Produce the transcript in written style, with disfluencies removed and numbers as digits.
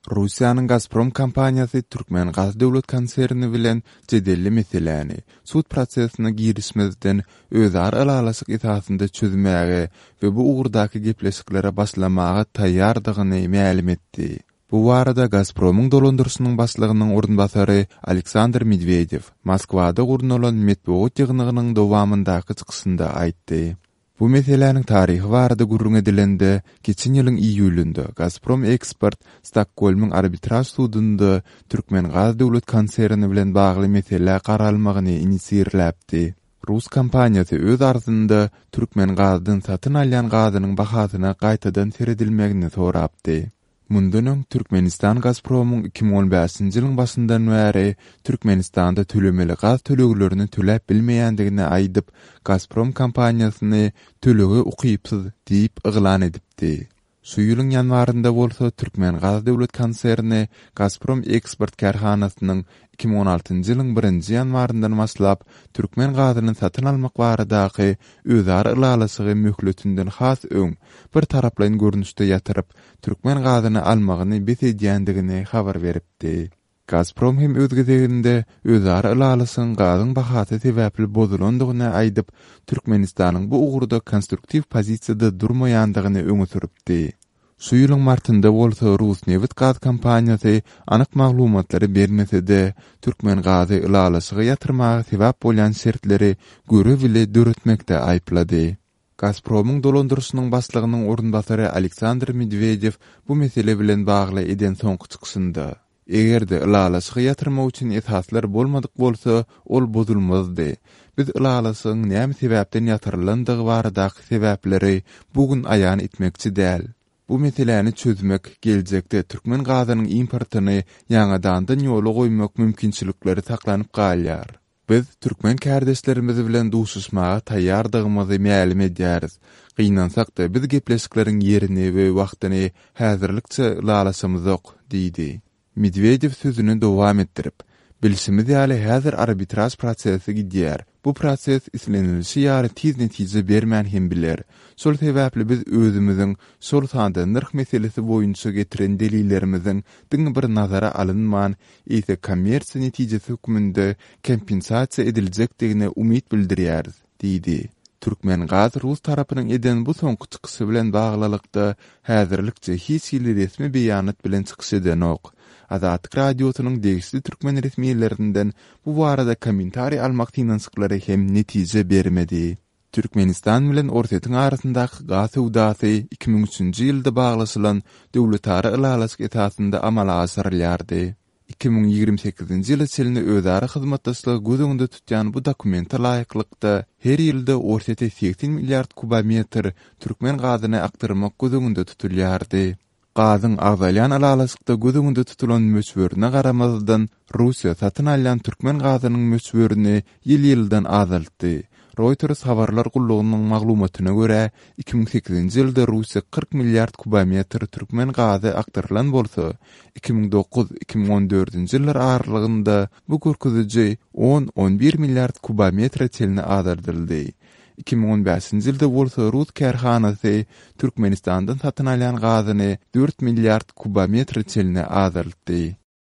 Russiýanyň Gazprom kompaniýasy Türkmengaz döwlet konserni bilen jedelli meseläni, sud prosesine girişmezden, özara ylalaşyk esasynda çözmäge we bu ugurdaky gepleşiklere başlamaga taýýardygyny mälim etdi. Bu barada Gazpromyň dolandyryşynyň başlygynyň orunbasary Aleksandr Medwedew Moskwada gurnalan metbugat ýygnagynyň dowamyndaky çykyşynda aýtdy. Bu meseläniň taryhy barada gürrüň edilende, geçen ýylyň iýulynda Gazprom Eksport Stokgolmyň arbitraž sudunda Türkmengaz döwlet konserni bilen bagly meselä garalmagyny inisirläpdi. Rus kompaniýasy öz arzynda Türkmengazdan satyn alýan gazynyň bahasyna gaýtadan seredilmegini sorapdy. Mundan öň, Türkmenistan Gazpromyň 2015-nji ýylyň başyndan bäri Türkmenistanda tölemeli gaz töleglerini töläp bilmeýändigini aýdyp, Gazprom kompaniýasyny tölege ukypsyz diýip yglan edipdi. Şu ýylyň ýanwarynda bolsa Türkmengaz döwlet konserni Gazprom eksport kärhanasynyň 2016-njy ýylyň birinji ýanwaryndan başlap türkmen gazyny satyn almak baradaky özara ylalaşygy möhletinden has öň bir taraplaýyn görnüşde ýatyryp, türkmen gazyny almagyny bes edýändigini habar beripdi. Gazprom hem öz gezeginde özara ylalaşygyň gazyň bahasy sebäpli bozulandygyny aýdyp, Türkmenistanyň bu ugurda konstruktiw pozisiýada durmaýandygyny öňe sürüpdi. Şu ýylyň martynda bolsa rus nebit-gaz kompaniýasy anyk maglumatlary bermese-de, Türkmengazy ylalaşygy ýatyrmaga sebäp bolýan şertleri göre-bile döretmekde aýyplady. Gazpromyň dolandyryşynyň başlygynyň orunbasary Aleksandr Medwedew bu mesele bilen bagly eden soňky çykyşynda, Eger-de ylalaşygy ýatyrmak üçin esaslar bolmadyk bolsa, ol bozulmazdy. Biz ylalaşygyň näme sebäpden ýatyrylandygy baradaky sebäpleri bu gün aýan etmekçi däl. Bu meseläni çözmek, geljekde türkmen gazynyň importyny ýaňadandan ýola goýmak mümkinçilikleri saklanyp galýar. Biz türkmen kärdeşlerimiz bilen duşuşmaga taýýardygymyzy mälim edýäris. Gynansak-da, biz gepleşikleriň ýerini we wagtyny häzirlikçe ylalaşamyzok diýdi. Medwedew sözüni dowam etdirip, Bilşimiz ýaly, häzir arbitraž prosesi gidýär. Bu proses islenilişi ýaly tiz netije bermän hem biler. Şol sebäpli biz özümiziň, şol sanda nyrh meselesi boýunça getiren delillerimiziň diňe bir nazara alynman, eýse kommersiýa netijesi hökmünde kompensasiýa ediljekdigine umyt bildirýäris diýdi. Türkmengaz rus tarapynyň eden bu soňky çykyşy bilen baglylykda häzirlikçe hiç hili resmi beýanat bilen çykyş edenok. Azatlyk Radiosynyň degişli türkmen resmilerinden bu barada kommentariý almak synanyşyklary hem netije bermedi. Türkmenistan bilen Orsýetiň arasyndaky gaz söwdasy 2003-nji ýylda baglaşylan döwletara ylalaşyk esasynda amala aşyrylýardy. 2028-nji ýyla çenli özara hyzmatdaşlygy göz öňünde tutýan bu dokumente laýyklykda, her ýylda Orsýete 80 milliard kubometr türkmen gazyny akdyrmak göz öňünde tutulýardy. Gazyň agzalýan ylalaşykda göz öňünde tutulan möçberine garamazdan, Russiýa satyn alýan türkmen gazynyň möçberini ýyl-ýyldan azaltdy. Reuters habarlar gullugynyň maglumatyna görä, 2008-nji ýylda Russiýa 40 milliard kubometr türkmen gazy akdyrylan bolsa, 2009, 2014-nji ýyllar aralygynda bu görkeziji on, on bir milliard kubometre çenli azaldyldy. 2015-nji ýylda bolsa rus kärhanasy Türkmenistandan satyn alýan gazyny dört milliard kubometre çenli azaltdy.